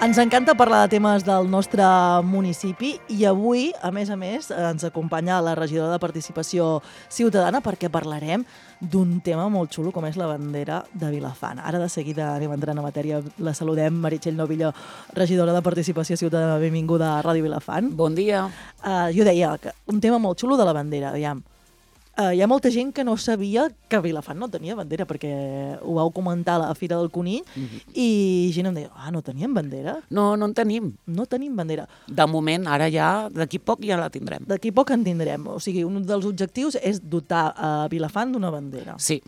Ens encanta parlar de temes del nostre municipi i avui, a més, ens acompanya la regidora de Participació Ciutadana perquè parlarem d'un tema molt xulo com és la bandera de Vilafant. Ara de seguida anem entrant a matèria. La saludem, Meritxell Novillo, regidora de Participació Ciutadana. Benvinguda a Ràdio Vilafant. Bon dia. Jo deia que un tema molt xulo de la bandera, aviam. Hi ha molta gent que no sabia que Vilafant no tenia bandera, perquè ho vau comentar a la Fira del Conill i gent em deia, no teníem bandera? No en tenim. No tenim bandera. De moment, ara ja, d'aquí poc ja la tindrem. D'aquí poc en tindrem. O sigui, un dels objectius és dotar a Vilafant d'una bandera. Sí.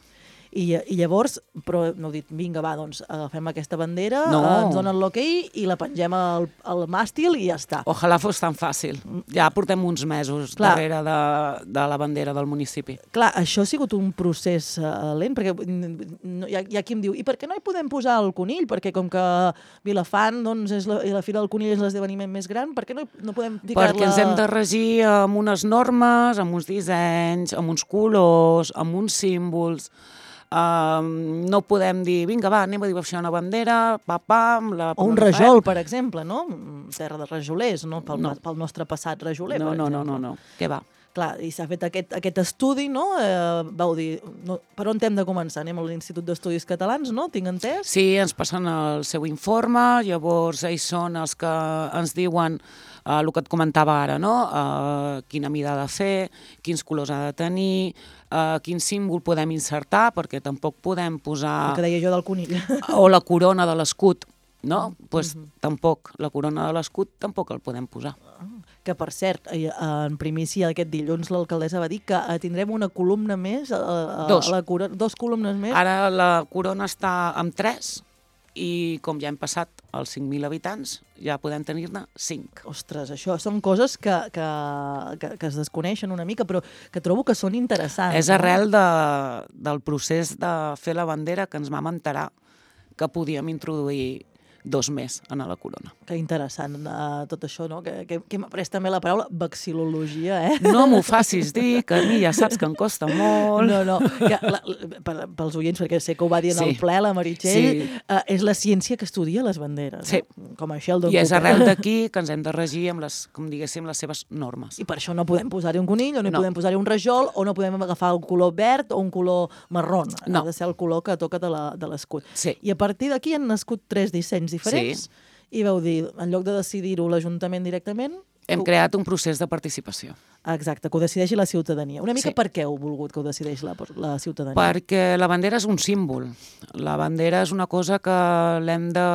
I llavors, però no heu dit, vinga, va, doncs agafem aquesta bandera, No. ens donen l'hoquei i la pengem al màstil i ja està. Ojalà fos tan fàcil. Ja portem uns mesos darrere de la bandera del municipi. Clar, això ha sigut un procés lent, perquè hi ha qui em diu, i per què no hi podem posar el conill? Perquè com que Vilafant, doncs, i la Fira del Conill és l'esdeveniment més gran, per què no podem ficar-la... Perquè ens hem de regir amb unes normes, amb uns dissenys, amb uns colors, amb uns símbols. No podem dir, vinga, va, anem a dibuixar una bandera, pam, o un rajol, per exemple, no? Terra de rajolers, no? Pel nostre passat rajoler, per exemple. No, què va? Clar, i s'ha fet aquest estudi, no? Vau dir, per on hem de començar? Anem a l'Institut d'Estudis Catalans, no? Tinc entès? Sí, ens passen el seu informe, llavors ells són els que ens diuen el que et comentava ara, no? Quina mida ha de fer, quins colors ha de tenir, quin símbol podem insertar, perquè tampoc podem posar... El que deia jo del conill. O la corona de l'escut, no? Doncs tampoc, la corona de l'escut tampoc el podem posar. Que, per cert, en primícia aquest dilluns l'alcaldessa va dir que tindrem una columna més, dos columnes més. Ara la corona està amb 3 i com ja hem passat els 5.000 habitants, ja podem tenir-ne 5. Ostres, això són coses que es desconeixen una mica, però que trobo que són interessants. És arrel del procés de fer la bandera que ens vam enterar que podíem introduir 2 més a la corona. Que interessant tot això, no? Que hem après també la paraula vexil·lologia, No m'ho facis dir, que a mi ja saps que em costa molt. No, pels oients, perquè sé que ho va dir en el ple la Meritxell, és la ciència que estudia les banderes. Sí. Com això el I és arrel d'aquí que ens hem de regir amb les, com diguéssim, les seves normes. I per això no podem posar-hi un conill, o no podem posar-hi un rajol, o no podem agafar un color verd o un color marró. Ha de ser el color que toca de l'escut. Sí. I a partir d'aquí han nascut 3 dissenys diferents, i vau dir, en lloc de decidir-ho l'Ajuntament directament... Hem creat un procés de participació. Exacte, que ho decideixi la ciutadania. Una mica per què heu volgut que ho decideixi la ciutadania? Perquè la bandera és un símbol. La bandera és una cosa que l'hem de...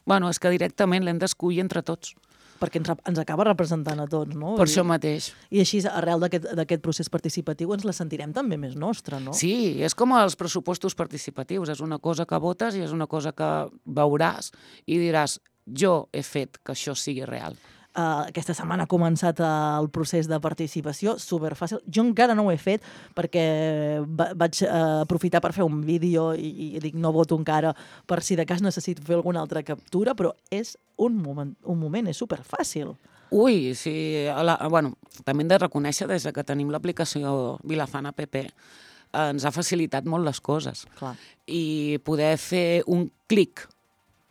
Bueno, és que directament l'hem d'escollir entre tots. Perquè ens acaba representant a tots, no? Per això mateix. I així, arrel d'aquest procés participatiu, ens la sentirem també més nostra, no? Sí, és com els pressupostos participatius. És una cosa que votes i és una cosa que veuràs i diràs, jo he fet que això sigui real. Aquesta setmana ha començat el procés de participació, superfàcil. Jo encara no ho he fet perquè vaig aprofitar per fer un vídeo i dic no voto encara per si de cas necessito fer alguna altra captura, però és un moment, és superfàcil. Ui, sí. Bueno, també hem de reconèixer des que tenim l'aplicació Vilafant App ens ha facilitat molt les coses. Clar. I poder fer un clic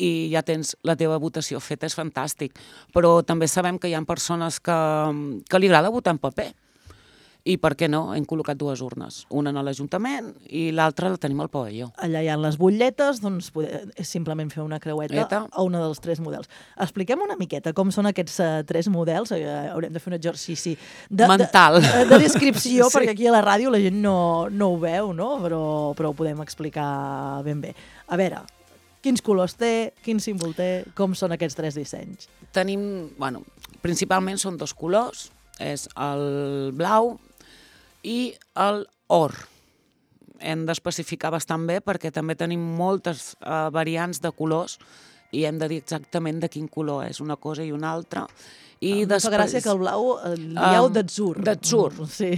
i ja tens la teva votació feta, és fantàstic. Però també sabem que hi ha persones que li agrada votar en paper. I per què no? Hem col·locat 2 urnes. Una a l'Ajuntament i l'altra la tenim al pavelló. Allà hi ha les butlletes, doncs és simplement fer una creueta a una dels 3 models. Expliquem una miqueta com són aquests 3 models. Haurem de fer un exercici mental. De descripció, perquè aquí a la ràdio la gent no ho veu, no? Però ho podem explicar ben bé. A veure, quins colors té, quin símbol té, com són aquests 3 dissenys? Tenim, bueno, principalment són 2 colors, és el blau i el or. Hem d'especificar bastant bé perquè també tenim moltes variants de colors i hem de dir exactament de quin color és una cosa i una altra. Em fa gràcia que el blau el dieu d'atzur. D'atzur. Sí.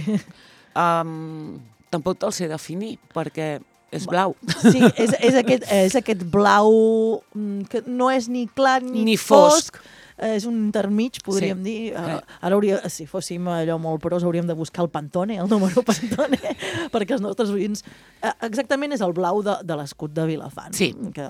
Tampoc te'l sé definir perquè és blau. Sí, és aquest blau que no és ni clar ni fosc, és un intermig, podríem dir. Ara si fóssim allò molt pros, hauríem de buscar el Pantone, el número Pantone, perquè els nostres oients... Exactament és el blau de l'escut de Vilafant, que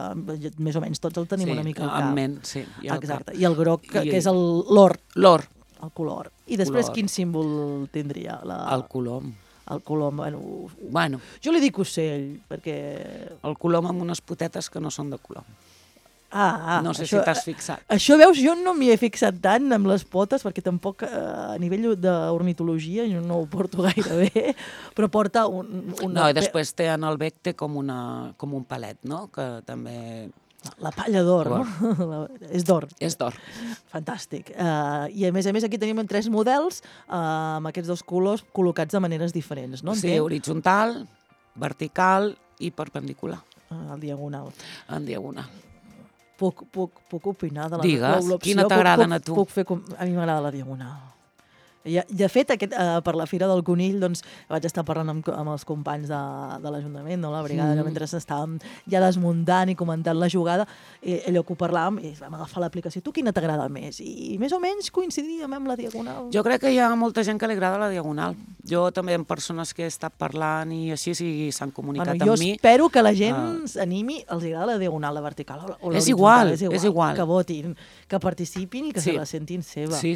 més o menys tots el tenim una mica al cap. En ment, sí. Exacte. I el groc, que és l'or. L'or. El color. I després quin símbol tindria? El colom. El colom, bueno... Jo li dic ocell, perquè... El colom amb unes potetes que no són de colom. No sé si t'has fixat. Això, veus, jo no m'hi he fixat tant amb les potes, perquè tampoc a nivell d'ornitologia jo no ho porto gaire bé, però porta No, i després té en el bec com un palet, no? Que també... La palla d'or, no? És d'or. És d'or. Fantàstic. I a més aquí tenim 3 models amb aquests 2 colors col·locats de maneres diferents, no? Sí, horitzontal, vertical i perpendicular. En diagonal. En diagonal. Puc opinar de l'opció? Digues, quina t'agrada a tu? A mi m'agrada la diagonal. De fet, per la Fira del Conill vaig estar parlant amb els companys de l'Ajuntament, la brigada, que mentre estàvem ja desmuntant i comentant la jugada, allò que ho parlàvem, i vam agafar l'aplicació. Tu quina t'agrada més? I més o menys coincidíem amb la diagonal. Jo crec que hi ha molta gent que li agrada la diagonal. Jo també amb persones que he estat parlant i així s'han comunicat amb mi. Jo espero que la gent s'animi, els agrada la diagonal, la vertical o és igual. Que votin, que participin i que se la sentin seva. Sí.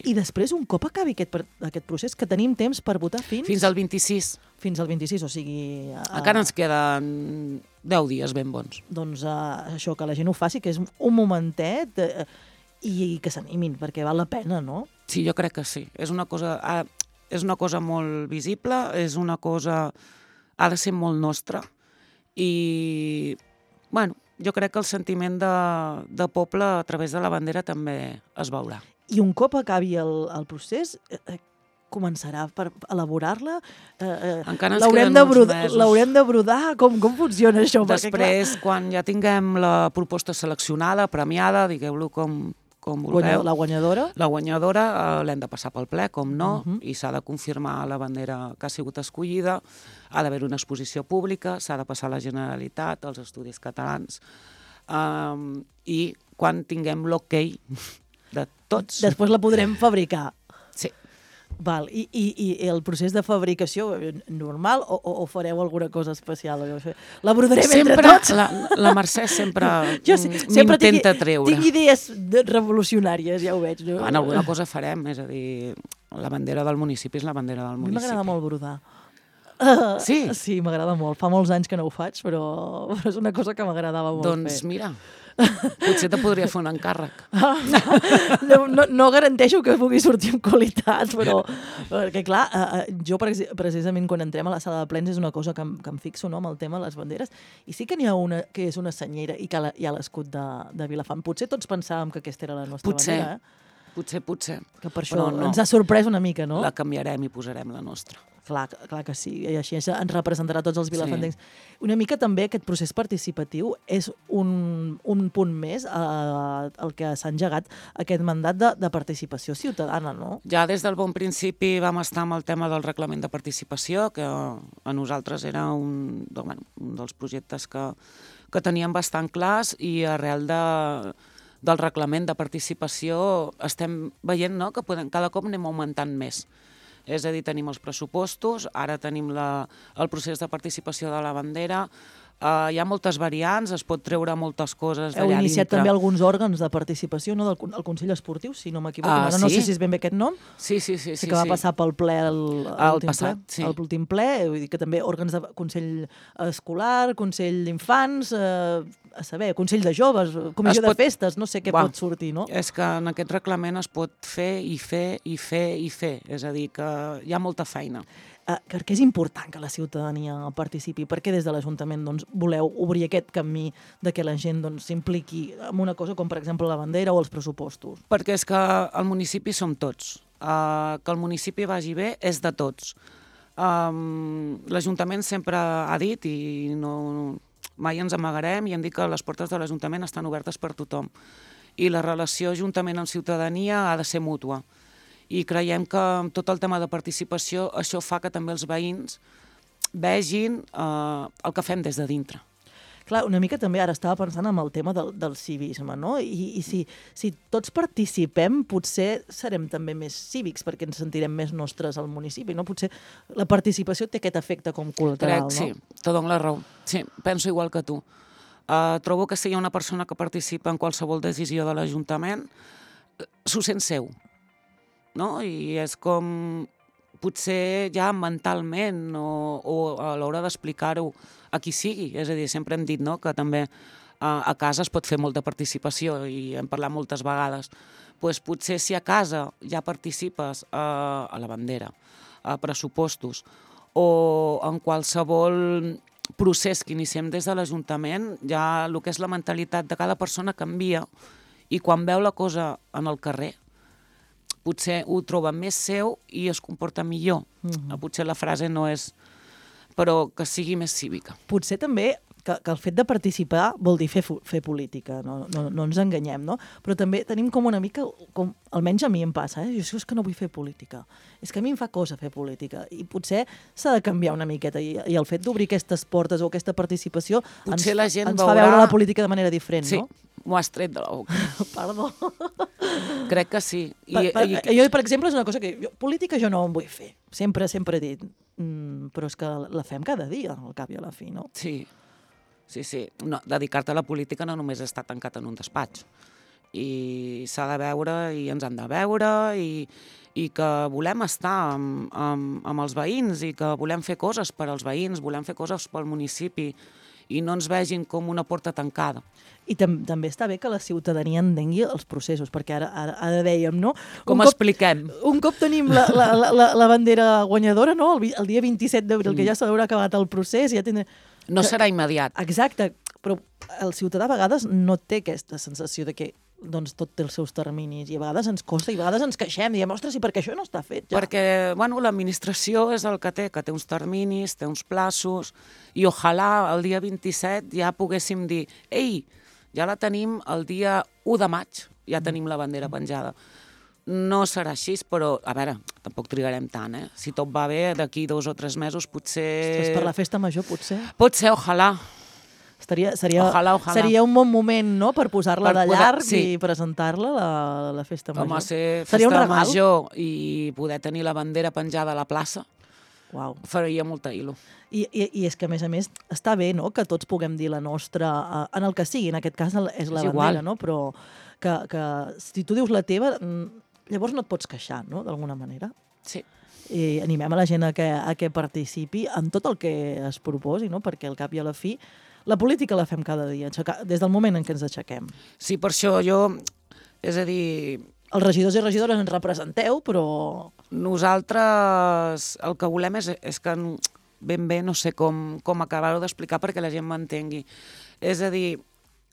I després, un cop acabi aquest procés, que tenim temps per votar fins al 26. Fins al 26, o sigui... Encara ens queden 10 dies ben bons. Doncs això, que la gent ho faci, que és un momentet i que s'animin, perquè val la pena, no? Sí, jo crec que sí. És una cosa molt visible, és una cosa... ha de ser molt nostra i, bueno, jo crec que el sentiment de poble a través de la bandera també es veurà. I un cop acabi el procés, començarà per elaborar-la? Encara ens queden uns mesos. L'haurem de brodar? Com funciona això? Després, quan ja tinguem la proposta seleccionada, premiada, digueu-lo com vulgueu. La guanyadora? La guanyadora l'hem de passar pel ple, com no, i s'ha de confirmar la bandera que ha sigut escollida, ha d'haver una exposició pública, s'ha de passar a la Generalitat, als Estudis Catalans, i quan tinguem l'ok de tots... Després la podrem fabricar. Sí. Val. I el procés de fabricació normal o fareu alguna cosa especial? La brodarem entre tots? La Mercè sempre m'intenta treure. Tinc idees revolucionàries, ja ho veig. No? Bueno, alguna cosa farem, és a dir, la bandera del municipi és la bandera del municipi. A mi m'agrada molt brodar. Sí? Sí, m'agrada molt. Fa molts anys que no ho faig, però és una cosa que m'agradava molt fer. Doncs mira... Potser te podria fer un encàrrec. No garanteixo que pugui sortir amb qualitat, però... Perquè, clar, jo precisament quan entrem a la sala de plens és una cosa que em fixo, no?, amb el tema de les banderes, i sí que n'hi ha una que és una senyera i que hi ha l'escut de Vilafant. Potser tots pensàvem que aquesta era la nostra bandera, Potser. Que per això ens ha sorprès una mica, no? La canviarem i posarem la nostra. Clar que sí, i així ens representarà tots els vilafantencs. Sí. Una mica també aquest procés participatiu és un punt més al que s'ha engegat aquest mandat de participació ciutadana, no? Ja des del bon principi vam estar amb el tema del reglament de participació, que a nosaltres era un dels projectes que teníem bastant clars, i arrel del reglament de participació estem veient, no?, que cada cop anem augmentant més. És a dir, tenim els pressupostos, ara tenim el procés de participació de la bandera, hi ha moltes variants, es pot treure moltes coses d'allà dintre. Heu iniciat també alguns òrgans de participació, no?, del Consell Esportiu, si no m'equivoco. No sé si és ben bé aquest nom. Sí. Que va passar pel ple l'últim ple, vull dir que també òrgans de Consell Escolar, Consell d'Infants, a saber, Consell de Joves, Comissió de Festes, no sé què pot sortir, no? És que en aquest reglament es pot fer i fer i fer i fer, és a dir, que hi ha molta feina. Perquè és important que la ciutadania participi, perquè des de l'Ajuntament voleu obrir aquest camí de que la gent s'impliqui en una cosa com, per exemple, la bandera o els pressupostos. Perquè és que el municipi som tots. Que el municipi vagi bé és de tots. L'Ajuntament sempre ha dit, i mai ens amagarem, i hem dit que les portes de l'Ajuntament estan obertes per tothom. I la relació Ajuntament amb ciutadania ha de ser mútua. I creiem que amb tot el tema de participació això fa que també els veïns vegin el que fem des de dintre. Clar, una mica també ara estava pensant en el tema del civisme, no? I si tots participem, potser serem també més cívics, perquè ens sentirem més nostres al municipi, no? Potser la participació té aquest efecte com col·lateral, no? Sí, te dono la raó. Sí, penso igual que tu. Trobo que si hi ha una persona que participa en qualsevol decisió de l'Ajuntament, s'ho sent seu, no? I és com potser ja mentalment o a l'hora d'explicar-ho a qui sigui. És a dir, sempre hem dit, no?, que també a casa es pot fer molta participació i hem parlat moltes vegades. Pues potser si a casa ja participes a la bandera, a pressupostos o en qualsevol procés que iniciem des de l'Ajuntament, ja el que és la mentalitat de cada persona canvia i quan veu la cosa en el carrer potser ho troba més seu i es comporta millor. Potser la frase no és però que sigui més cívica. Potser també que el fet de participar vol dir fer política, no ens enganyem, no? Però també tenim com una mica, almenys a mi em passa, jo és que no vull fer política, és que a mi em fa cosa fer política i potser s'ha de canviar una miqueta i el fet d'obrir aquestes portes o aquesta participació ens fa veure la política de manera diferent, no? Sí, m'ho has tret de la boca. Perdó. Crec que sí. Jo, per exemple, és una cosa que política jo no en vull fer, sempre he dit, però és que la fem cada dia, al cap i a la fi, no? Sí. Sí. No, dedicar-te a la política no només està tancat en un despatx. I s'ha de veure i ens han de veure i que volem estar amb els veïns i que volem fer coses per als veïns, volem fer coses pel municipi i no ens vegin com una porta tancada. I també està bé que la ciutadania entengui els processos, perquè ara dèiem, no? Com expliquem? Un cop tenim la bandera guanyadora, no? El dia 27 d'abril, que ja s'haurà acabat el procés, ja tindrà... No serà immediat. Exacte, però el ciutadà a vegades no té aquesta sensació de que doncs, tot té els seus terminis i a vegades ens costa i a vegades ens queixem, diem, ostres, i per què això no està fet ja? Perquè, bueno, l'administració és el que té uns terminis, té uns plaços i ojalà el dia 27 ja poguéssim dir, ei, ja la tenim el dia 1 de maig, ja tenim la bandera penjada. No serà així, però, a veure, tampoc trigarem tant, eh? Si tot va bé, d'aquí 2 o 3 mesos potser... Ostres, per la festa major, potser? Potser, ojalà. Seria un bon moment, no?, per posar-la de llarg i presentar-la a la festa major. Home, ser festa major i poder tenir la bandera penjada a la plaça, faria molta il·lu. I és que, a més, està bé, no?, que tots puguem dir la nostra, en el que sigui, en aquest cas és la bandera, no?, però que si tu dius la teva, llavors no et pots queixar, no?, d'alguna manera. Sí. I animem a la gent a que participi en tot el que es proposi, no?, perquè al cap i a la fi la política la fem cada dia, des del moment en què ens aixequem. Sí, per això és a dir... Els regidors i regidores ens representeu, però... Nosaltres el que volem és que ben bé no sé com acabar-ho d'explicar perquè la gent m'entengui. És a dir,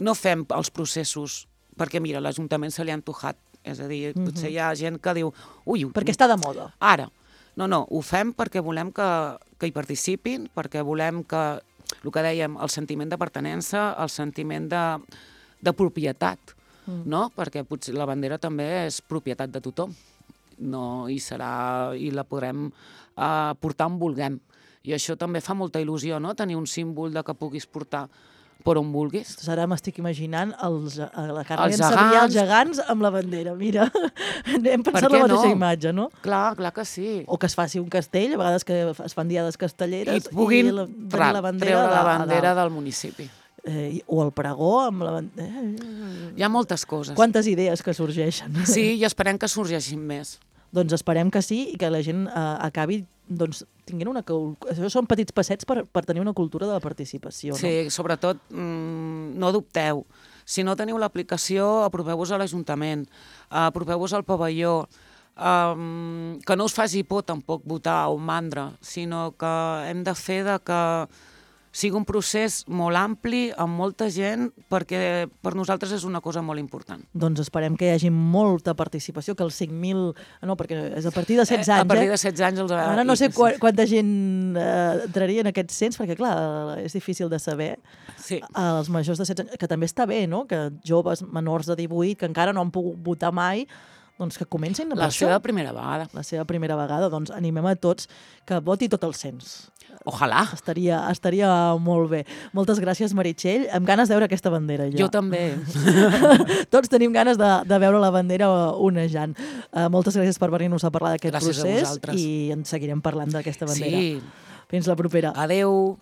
no fem els processos perquè, mira, l'Ajuntament se li ha antojat. És a dir, potser hi ha gent que diu... Perquè està de moda. Ara. No, ho fem perquè volem que hi participin, perquè volem que, el que dèiem, el sentiment de pertinença, el sentiment de propietat, no? Perquè potser la bandera també és propietat de tothom, no hi serà i la podrem portar on vulguem. I això també fa molta il·lusió, no?, tenir un símbol de que puguis portar per on vulguis. Ara m'estic imaginant la Carme i en Sabrià, els gegants, amb la bandera. Mira, hem pensat la mateixa imatge, no? Clar que sí. O que es faci un castell, a vegades que es fan diades castelleres, i puguin treure la bandera del municipi. O el pregó amb la bandera. Hi ha moltes coses. Quantes idees que sorgeixen. Sí, i esperem que sorgeixin més. Doncs esperem que sí i que la gent acabi tinguent això són petits passets per tenir una cultura de la participació. Sí, sobretot no dubteu. Si no teniu l'aplicació, apropeu-vos a l'Ajuntament, apropeu-vos al pavelló, que no us faci por tampoc votar o mandra, sinó que hem de fer que sigui un procés molt ampli, amb molta gent, perquè per nosaltres és una cosa molt important. Doncs esperem que hi hagi molta participació, que els 5.000... No, perquè és a partir de 16 anys. A partir de 16 anys... Ara no sé quanta gent entraria en aquests cens, perquè, clar, és difícil de saber. Sí. Els majors de 16 anys, que també està bé, no?, que joves menors de 18, que encara no han pogut votar mai, doncs que comencin per La això. seva primera vegada. La seva primera vegada, doncs animem a tots que voti tot el cens. Ojalà. Estaria molt bé. Moltes gràcies, Meritxell. Amb ganes de veure aquesta bandera, jo. Jo també. Tots tenim ganes de veure la bandera onejant. Moltes gràcies per venir-nos a parlar d'aquest Gràcies a procés vosaltres. i en seguirem parlant d'aquesta bandera. Sí. Fins la propera. Adeu.